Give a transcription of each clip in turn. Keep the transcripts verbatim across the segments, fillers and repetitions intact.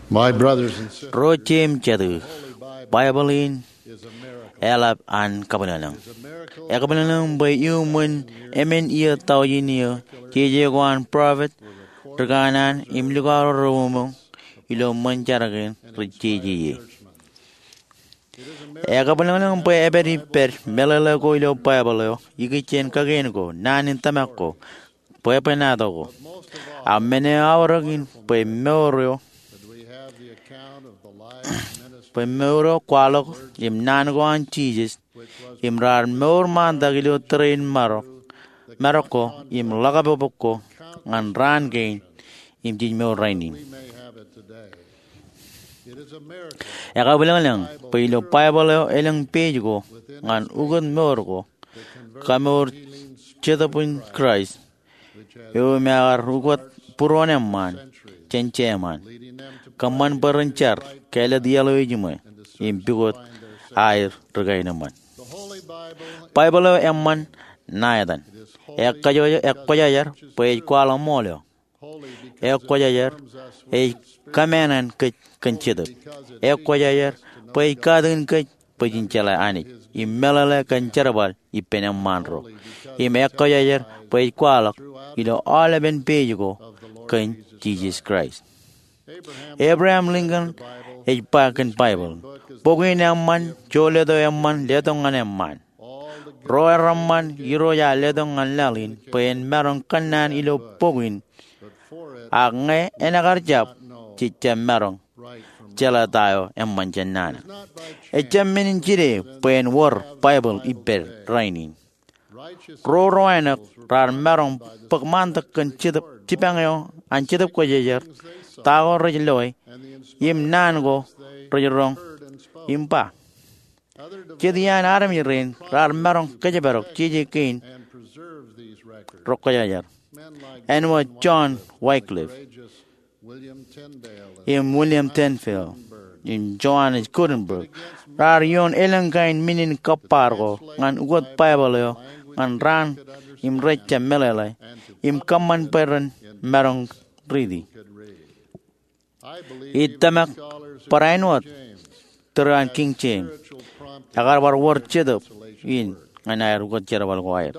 My brothers and sisters, ro jeiū im jatū, Baibōḷ in eḷap an kabwilōñlōñ. Ekabwilōñlōñ bwe iuṃwin emān iiō taujin iiō, jeje ko an prophet ri kanaan im likao ro reṃōṃ ilo ṃōn jar kein rej jeje ie. Ekabwilōñlōñ bwe epād ippād meḷeḷe ko ilo Baibōḷ eo ikijjien kakien ko, naan in tōmak ko, bwebwenato ko. Ak men eo aorōk in bwe mour eo, bwe mour eo kwaḷọk im naan ko an Jisōs im raar mour ṃaantak ilo tōre in marok, marok ko im ḷōkapokpok ko ñan raan kein im jej mour rainin. Ekabwilōñlōñ bwe ilo Baibōḷ eo elōñ page ko ñan ukōt mour ko, kamour Jetōb in Kraist, eo im ekar ukōt būruon eṃṃaan jān jeṃaan, kōṃṃan bwe ren jar kāālōt iaḷ eo ejiṃwe im pukot aer ri kaenōṃṃan. Baibōḷ eo eṃṃan ṇa etan. Ekkwōj-, ekkwōjajar bwe ej kwaḷọk ṃool eo. Ekkwōjajar ej kōmāāṇāṇ kōj kōn Jetōb. Ekkwōjajar bwe ej katakin kōj bwe jen jeḷā Anij im meḷeḷe kōn jerbal ippān eṃṃaan ro. Im ekkwōjajar bwe ej kwaḷọk ilo aolepen page ko kōn Jisōs Kraist. Abraham Lincoln ej ba kōn Baibōḷ, bok in eṃṃan, jouleto eṃṃan, letok ñan eṃṃaan. Ro reṃṃan, Irooj ear letok ñan laḷ in bwe en maroñ kōnnaan ilo bok in. Ak ñe en ekar jab, jej jab maroñ jeḷā ta eo eṃṃan jān nana. Ejjab men in jide bwe en wōr Baibōḷ ippād rainin. Ro ro āinwōt raar maroñ bōk ṃaantak kōn Jetōb, jipañ eo an Jetōb Kwōjarjar, ta ko rej loe, im naan ko rej roñ im ba. Jet iaan armej rein raar maroñ kōjparok jeje kein rej kwōjarjar. Āinwōt John Wycliffe im William Tyndale im Johannes Gutenberg, raar ioon elōñ kain men in kōbbaar ko ñan ukōt Baibōḷ eo ñan raan im rej jab meḷeḷe im kōṃṃan bwe ren maroñ riiti. Ij tōmak barāinwōt tōre an King James ekar bar wōr Jetōb in ñan aer ukōt jerbal ko aer.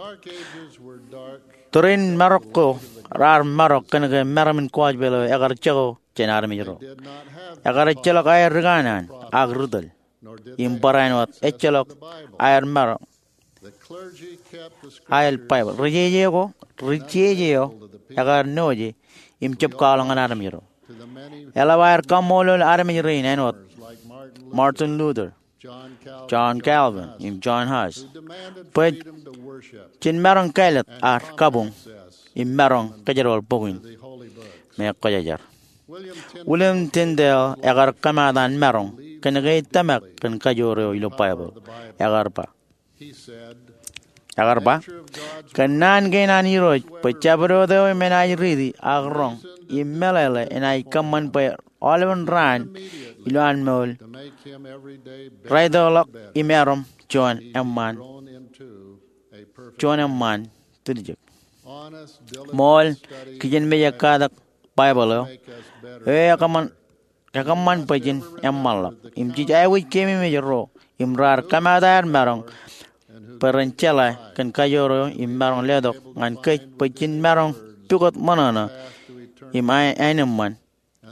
Tōre in marok ko raar marok kōnke meram in gospel eo ekar jako jān armej ro. Ekar ejjeḷọk aer ri kanaan ak ri tōl. Im barāinwōt ejjeḷọk aer maroñ aer Baibōḷ. Ri jeje ko, ri jeje eo ekar noje im jab kwaḷọk ñan armej ro. Eḷap aer kaṃṃoolol armej rein āinwōt Martin Luther, John Calvin, im John Huss bwe jen maroñ kāālōt ad kabuñ im maroñ kōjerbal bok in me kwōjarjar. William Tyndale ekar kōmaat an maroñ kōnke ej tōmak kōn kajoor eo ilo Baibōḷ. Ekar ba, ekar ba, kōnnaan kein an Irooj bwe jabdewōt eo im enaaj riiti ak roñ im meḷeḷe enaaj kōṃṃan bwe aolepen raan ilowaan mool raitōḷọk im erom juon eṃṃaan, juon eṃṃaan tiljek. Ṃool, kijenmej ekkatak Baibōḷ eo, eo ekōṃṃan, ekōṃṃan bwe jen eṃṃanḷọk. Im jej aikuj keememej ro im raar kōmaat aer maroñ bwe ren jeḷā kōn kajoor eo im maroñ letok ñan kōj bwe jen maroñ pukot ṃōṇōṇō im aenōṃṃan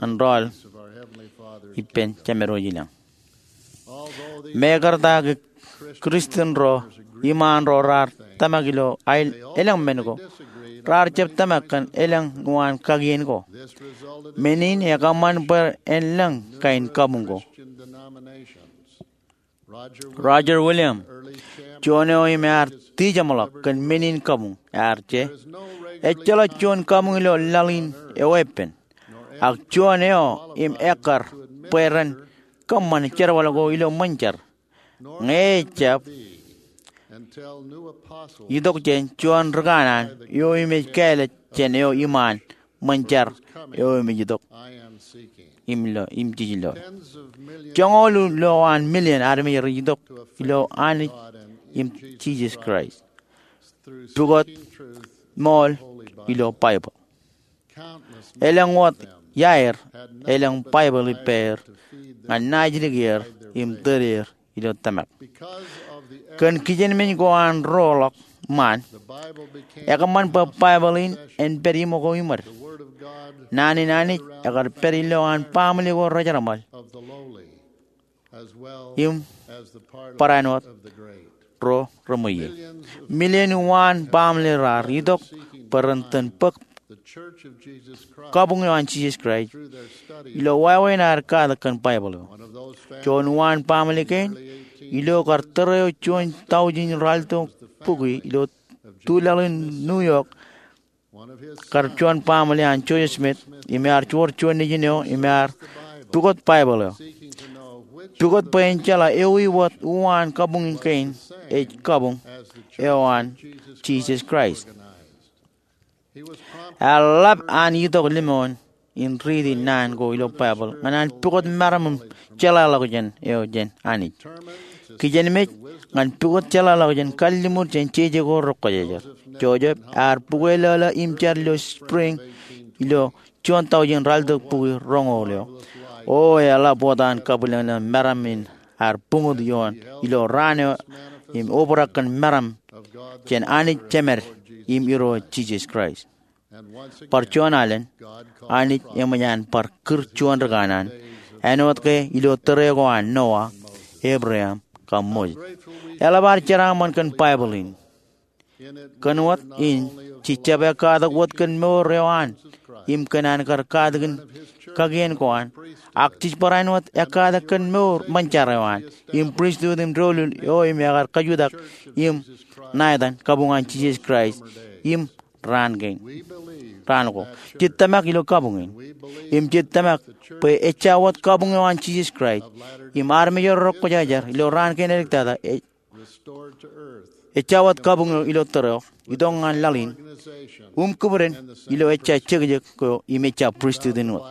ñan rọọl ippān Jemedwōj ilañ. Mekarta ke Christian ro iṃaan ro raar tōmak ilo aer elōñ men ko, raar jab tōmak kōn elōñ uwaan kakien ko. Men in ekōṃṃan bwe en lōñ kain kabuñ ko. Roger Williams, juon eo im ear tijeṃḷọk kōn men in kabuñ, ear je, ejjeḷọk juon kabuñ ilo laḷ in eweeppān, ak juon eo im ekkar bwe ren kōṃṃan jerbal ko ilo ṃōn jar. Ñe ejjab itok jān juon ri kanaan eo im ej kāālōt jān eo iṃaan ṃōn jar eo im ej itok im lo, im jej lo. Joñoul ilowaan million armej rej itok ilo Anij im Jisōs Kraist pukot ṃool ilo Baibōḷ. Elōñ wōt iaer elōñ Baibōḷ ippāer ñan naajdik er im tōl er ilo tōmak. Kōn kijenmej ko an roḷọk ṃaan, ekōṃṃan bwe Baibōḷ in en pād iṃōko iṃōd. Naan in Anij ekar pād ilowaan baaṃle ko rejerṃaḷ im barāinwōt ro reṃweiie. Milion uwaan baaṃle raar itok bwe ren tōn bōk kabuñ eo an Jisōs Kraist ilo wāween aer katak kōn Baibōḷ eo. Juon uwaan baaṃle kein, ilo kar tōre eo juon taujin ralitōk bukwi ilo tulaḷ in New York, kar juon baaṃle an Joseph Smith, im ear joor juon nejin eo im ear pukot Baibōḷ eo, pukot bwe en jeḷā ewi wōt uwaan kabuñ kein ej kabuñ eo an Jisōs Kraist. Ear ḷap an itok lemñoul in riiti naan ko ilo Baibōḷ ñan an pukot meram im jeḷāḷọkjeṇ eo jān Anij. Kijenmej ñan pukot jeḷāḷọkjeṇ kalliṃur jān jeje ko rekwōjarjar. Joseph ear bukweilōḷō im jar ilo spring ilo juon taujin ralitōk bukwi roñoul eo. O eḷap wōt an kabwilōñlōñ meram in ear buñut ioon ilo raan eo im obrak kōn meram jān Anij Jemed im Irooj Jisōs Kraist. Bar juon alen, Anij eṃōj an bar kūr juon rikanaan, āinwōt ke ilo tōre ko an Noah, Abraham, kab Moses. Eḷap ad jeraaṃṃan kōn Baibōḷ in. Kōn wōt in, jej jab ekkatak wōt kōn mour eo an im kōn an kar katakin kakien ko an, ak jej barāinwōt ekkatak kōn mour ṃōn jar eo an im pristut im doulul eo im ekar kajutak im ṇa etan kabuñ an Jisōs Kraist im raan kein, raan ko. Jej tōmak ilo kabuñ in im jej tōmak bwe ejja wōt kabuñ eo an Jisōs Kraist im armej ro rekwōjarjar ilo raan kein edik tata ej ejja wōt kabuñ eo ilo tōre eo itok ñan laḷ in, im kūbden ilo ejja jekjek ko im ejja pristut in wōt.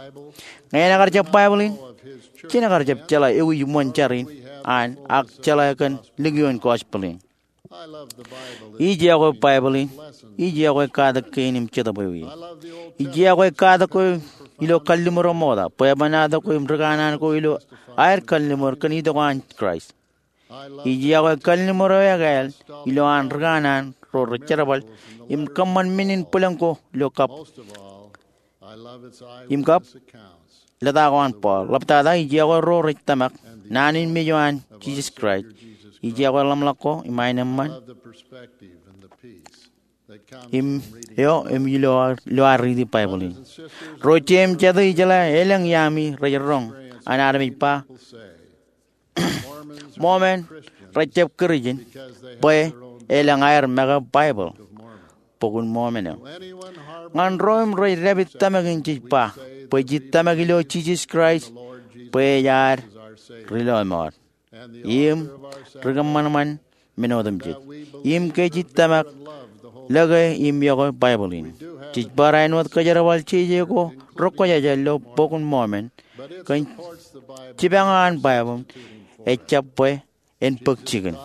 Ñe en kar jab Baibōḷ in, jen kar jab jeḷā ewi ṃōn jar in an ak jeḷā kōn likioon gospel in. Ij iọkwe Baibōḷ in, ij iọkwe katak kein im Jetōb eo ie. Ij iọkwe katak ko ilo kalliṃur eo ṃokta, bwebwenato ko im rikanaan ko ilo aer kalliṃur kōn itok an Kraist. Ij iọkwe kalliṃur eo ekāāl ilo an rikanaan ro rej jerbal im kōṃṃan men in bwilōñ ko ilo kab im kab lōta ko an Paul. Ḷaptata ij iọkwe ro rej tōmak naan in mej eo an Jisōs Kraist. Ij iọkwe ḷōmṇak ko im aenōṃṃan im eo im ilo, ilo ad riiti Baibōḷ in. Ro jet im jete, ijeḷā elōñ iaami rej roñ an armej ba Mormon rej jab Kūrijin bwe elōñ aer make Baibōḷ, Bok in Mormon eo. Ñan ro im rej dāpij tōmak in, jej ba bwe jej tōmak ilo Jisōs Kraist bwe ej ad Ri Lọmọọr im Ri-kōṃanṃan men otemjej, im ke jej tōmak lōke im iọkwe Baibōḷ in. Jej barāinwōt kōjerbal jeje ko rekwōjarjar ilo Bok in Mormon, kōn jipañ eo an Baibōḷ ejjab bwe en bōk jikin.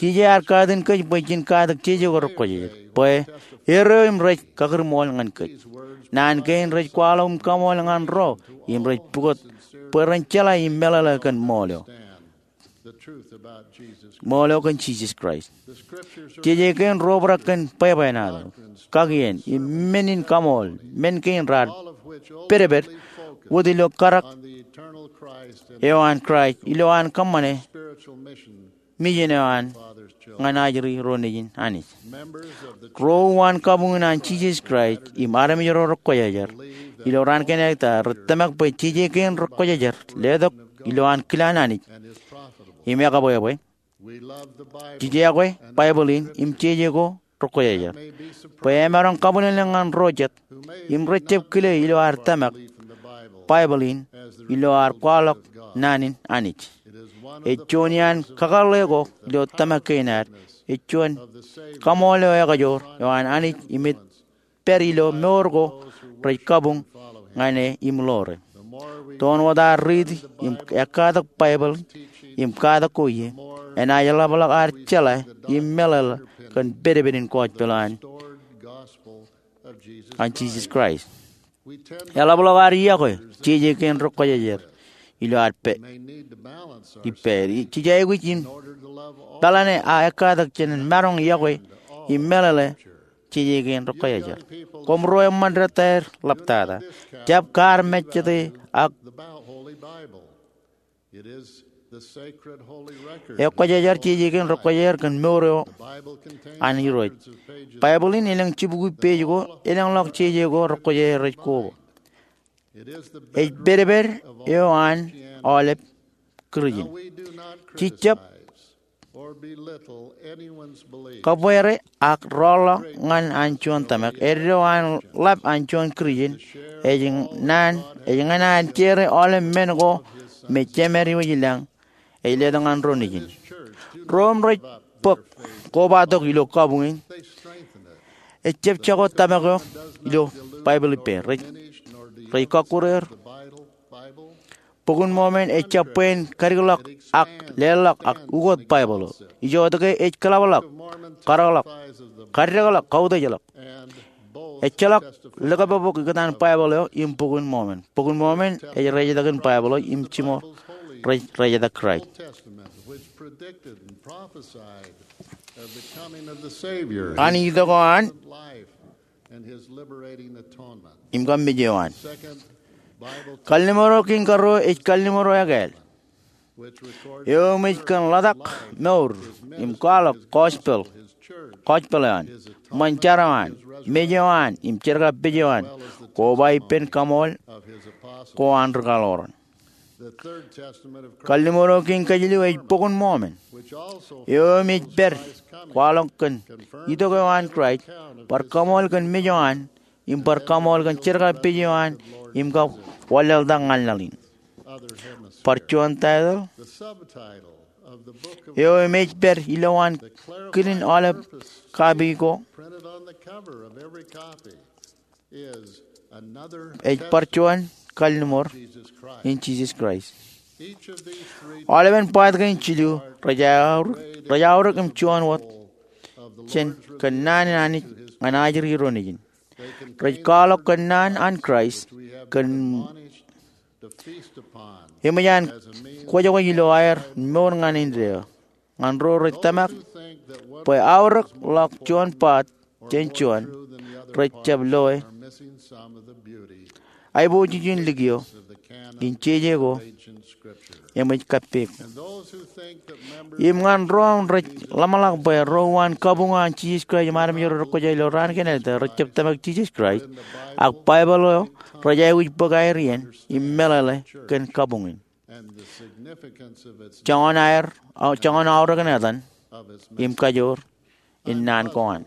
Jeje ear katin kōj bwe jen katak jeje ko rekwōjarjar bwe er eo im rej kakūrṃool ñan kōj. Naan kein rej kwaḷọk im kaṃool ñan ro im rej pukot bwe ren jeḷā im meḷeḷe kōn ṃool eo, ṃool eo kōn Jisōs Kraist. Jeje kein ro obrak kōn bwebwenato, kakien, im men in kaṃool, men kein raar pedped wōt ilo karak eo an Kraist ilo an kōṃṃane mijen eo an ñan ajri ro nejin Anij. Ro uwaan kabuñ in an Jisōs Kraist im armej ro rekwōjarjar ilo raan kein edik tata rej tōmak bwe jeje kein rekwōjarjar letok ilo an kilaan Anij im ekabwebwe. Jej iọkwe Baibōḷ in im jeje ko rekwōjarjar bwe emaroñ kabwilōñlōñ ñan ro jet im rej jab kile ilo ad tōmak Baibōḷ in ilo ad kwaḷọk naan in Anij. Ej juon iaan kakōḷḷe ko ilo tōmak kein ad. Ej juon kaṃool eo ekajoor eo an Anij im ej pād ilo mour ko rej kabuñ ñan e im ḷoore. Toon wōt ad riiti im ekkatak Baibōḷ im katak ko ie, enaaj ḷapḷọk ad jeḷā im meḷeḷe kōn pedped in gospel eo an, an Jisōs Kraist. Eḷapḷọk ad yokwe jeje kein ri-Kwōjarjar ilo ad pād ippāer. Jej aikuj in peḷane aō ekkatak jān maroñ yokwe im meḷeḷe jeje kein ri-Kwōjarjar. Koṃro eṃṃan detaer ḷaptata, jab kaar mejjete ak ekwōjarjar jeje kein ri-Kwōjarjar kōn mour eo an Irooj. Baibōḷ in elōñ jibukwi page ko elōñḷọk jeje ko ri-Kwōjarjar rej koba. Ej pedped eo an aolep Kūrjin. Jej jab kabwere ak rọọlḷọk ñan an juon tōmak. Eddo an ḷap an juon Kūrjin ej ñan an share aolep men ko me Jemed eo ej lañ ej letok ñan ro nejin. Ro im rej bōk kobatok ilo kabuñ in ej jab jako tōmak eo ilo Baibōḷ ippāer. Rej kọkkure er. Bok in Mọmọn ej jab bwe en kadikḷọk ak leḷọk ak ukot Baibōḷ eo. Ijoke ej kōḷapḷọk, kadekḷọk, kaddekḷọk, kautōjḷọk. Ejjeḷọk likabok ikōtaan Baibōḷ eo im Bok in Mọmọn. Bok in Mọmọn ej rejetak in Baibōḷ eo im jiṃor rej rejetak Kraist. An itok eo an im kab mej eo an. Kalliṃur eo kein karuo ej kalliṃur eo ekāāl eo im ej kōn ḷotak, mour, im kwaḷọk gospel, gospel eo an, ṃōn jar eo an, mej eo an im jerkakpeje eo an, koba ippān kaṃool ko an ri kaḷoran. Kalliṃur eo kein kajilu ej Bok in Mọmọn eo im ej pād kwaḷọk kōn itok eo an Kraist, bar kaṃool kōn mej eo an im bar kaṃool kōn jerkakpeje eo an im kab wanlaḷtak ñan laḷ in. Bar juon taitōḷ eo im ej pād ilowaan kidin aolep kapi ko ej bar juon kalliṃur in Jisōs Kraist. Aolepen part kein jilu rej aorōk im juon wōt jān kōnnaan in Anij ñan ajri ro nejin. Rej kwaḷọk kōnnaan an Kraist kōn eṃōj an kwōjkwōj ilo aer mour ñan indeeo ñan ro rej tōmak bwe aorōkḷọk juon part jān juon rej jab loe aiboojoj in likio in jeje ko eṃōj kappok. Im ñan ro rej ḷōmṇak bwe ro uwaan kabuñ an Jisōs Kraist im armej ro rej kwōj ilo raan kein etaer rej jab tōmak Jisōs Kraist, ak Baibōḷ eo rej aikuj bōk aer iien im meḷeḷe kōn kabuñ in, joñan aer, joñan aorōk in etan im kajoor in naan ko an.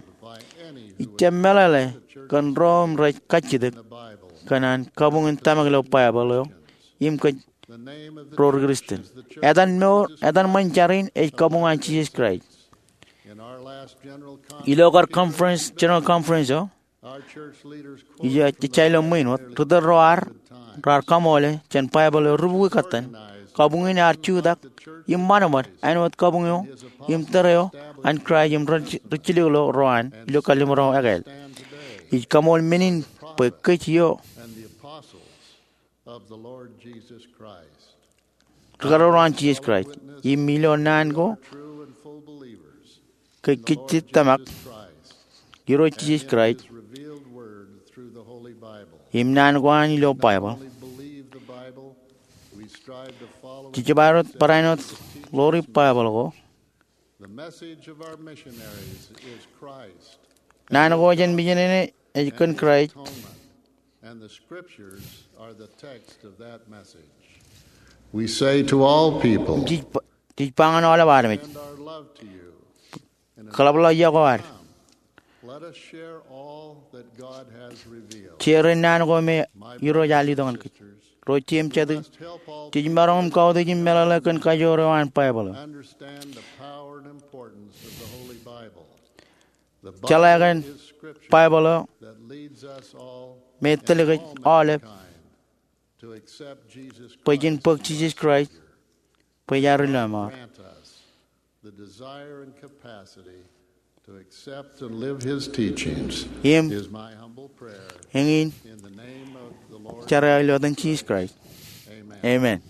Ij jab meḷeḷe kōn ro im rej kajjitōk kōn an kabuñ in tōmak ilo Baibōḷ eo im kōj ro ri Kristian. Etan mour, etan ṃōn jar in ej kabuñ an Jisōs Kraist. Ilo kar conference, general conference eo, ij ja ilo ṃwiin wōt, ri tōl ro ar, raar kaṃoole jān Baibōḷ eo rubukwi katten, kabuñ in ear jutak im ṃadṃōd āinwōt kabuñ eo im tōre eo an Kraist im ri jilkinḷọk ro an ilo kalliṃur eo ekāāl. Ij kaṃool men in bwe kōj eo rūkareoḷọk an Jisōs Kraist im ilo naan ko ke kōj kajjitōk tōmak Irooj Jisōs Kraist im naan ko an ilo Baibōḷ. Jej jab bar āinwōt ḷoori Baibōḷ ko. Naan ko jān mejān in ej kōn Kraist. And the scriptures are the text of that message. We say to all people, jej ba ñan aolep armej, kōḷapḷọk yokwe ad. Let us share all that God has revealed. Jerin naan ko me Irooj ear letok ñan kōj. Ro jen jatū, jej maroñ im kautiej im meḷeḷe kōn kajoor eo an Baibōḷ eo. Understand the power and importance of the Holy Bible. Jeḷā kōn Baibōḷ eo me tōl kōj aolep bwe jen bōk Jisōs Kraist bwe ear Ri-lọmọọr. The desire and capacity to accept and live his teachings, im is my humble prayer eñin in the name of the Lord. Jar eo ilo etan Jisōs Kraist. Amen. Amen.